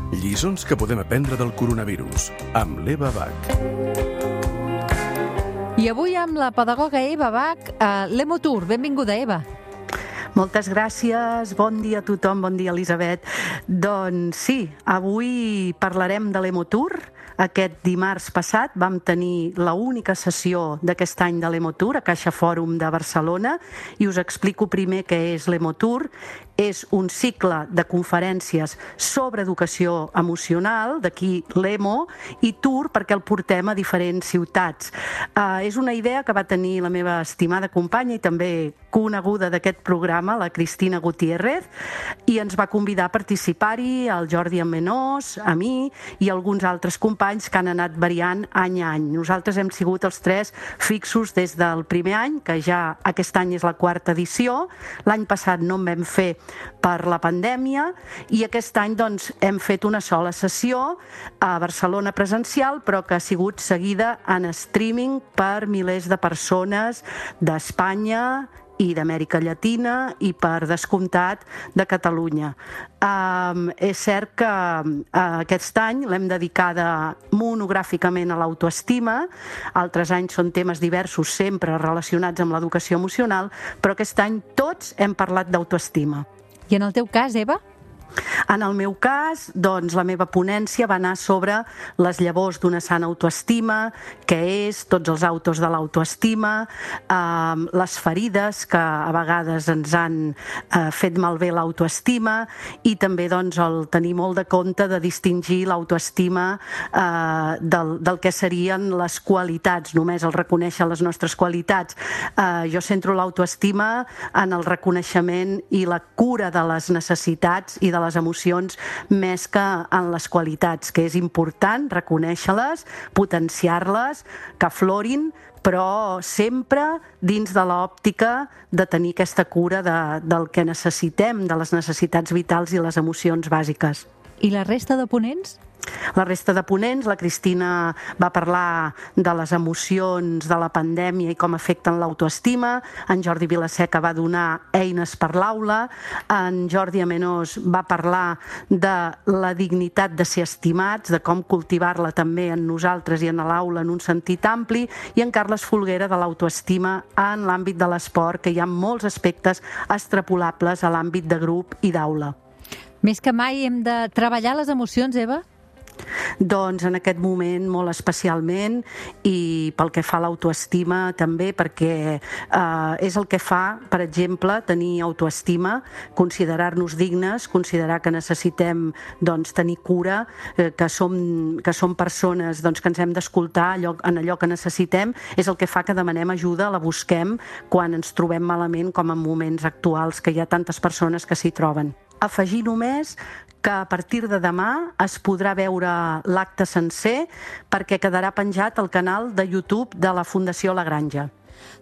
Lliçons que podem aprendre del coronavirus, amb l'Eva Bach. I avui amb la pedagoga Eva Bach, l'Emotour. Benvinguda, Eva. Moltes gràcies, bon dia a tothom, bon dia Elisabet. Doncs sí, avui parlarem de l'Emotour. Aquest dimarts passat vam tenir l'única sessió d'aquest any de l'Emotour a Caixa Fòrum de Barcelona i us explico primer què és l'Emotour. És un cicle de conferències sobre educació emocional, d'aquí l'Emo, i Tour perquè el portem a diferents ciutats. És una idea que va tenir la meva estimada companya i també coneguda d'aquest programa, la Cristina Gutiérrez, i ens va convidar a participar-hi, el Jordi Amenós, a mi i alguns altres companys que han anat variant any a any. Nosaltres hem sigut els tres fixos des del primer any, que ja aquest any és la 4ª edició. L'any passat no en vam fer per la pandèmia i aquest any doncs, hem fet una sola sessió a Barcelona presencial, però que ha sigut seguida en streaming per milers de persones d'Espanya i d'Amèrica Llatina i, per descomptat, de Catalunya. És cert que aquest any l'hem dedicada monogràficament a l'autoestima. Altres anys són temes diversos, sempre relacionats amb l'educació emocional, però aquest any tots hem parlat d'autoestima. I en el teu cas, Eva? En el meu cas, doncs, la meva ponència va anar sobre les llavors d'una sana autoestima, què és, tots els autos de l'autoestima, les ferides que a vegades ens han fet malbé l'autoestima i també doncs, el tenir molt de compte de distingir l'autoestima del que serien les qualitats, només el reconèixer les nostres qualitats. Jo centro l'autoestima en el reconeixement i la cura de les necessitats i de les emocions més que en les qualitats, que és important reconèixer-les, potenciar-les, que aflorin, però sempre dins de l'òptica de tenir aquesta cura del que necessitem, de les necessitats vitals i les emocions bàsiques. I la resta de ponents? La resta de ponents, la Cristina va parlar de les emocions de la pandèmia i com afecten l'autoestima, en Jordi Vilaseca va donar eines per l'aula, en Jordi Amenós va parlar de la dignitat de ser estimats, de com cultivar-la també en nosaltres i en l'aula en un sentit ampli, i en Carles Folguera de l'autoestima en l'àmbit de l'esport, que hi ha molts aspectes extrapolables a l'àmbit de grup i d'aula. Més que mai hem de treballar les emocions, Eva? Doncs en aquest moment molt especialment, i pel que fa a l'autoestima també, perquè és el que fa, per exemple, tenir autoestima, considerar-nos dignes, considerar que necessitem doncs, tenir cura, que som persones doncs, que ens hem d'escoltar en allò que necessitem, és el que fa que demanem ajuda, la busquem quan ens trobem malament, com en moments actuals que hi ha tantes persones que s'hi troben. Afegir només que a partir de demà es podrà veure l'acte sencer perquè quedarà penjat al canal de YouTube de la Fundació La Granja.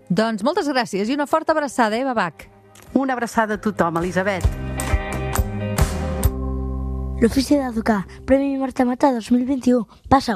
Doncs moltes gràcies i una forta abraçada, Eva Bach. Una abraçada a tothom, Elisabet. L'Ofici d'Educar, Premi Marta Mata 2021. Passa-ho.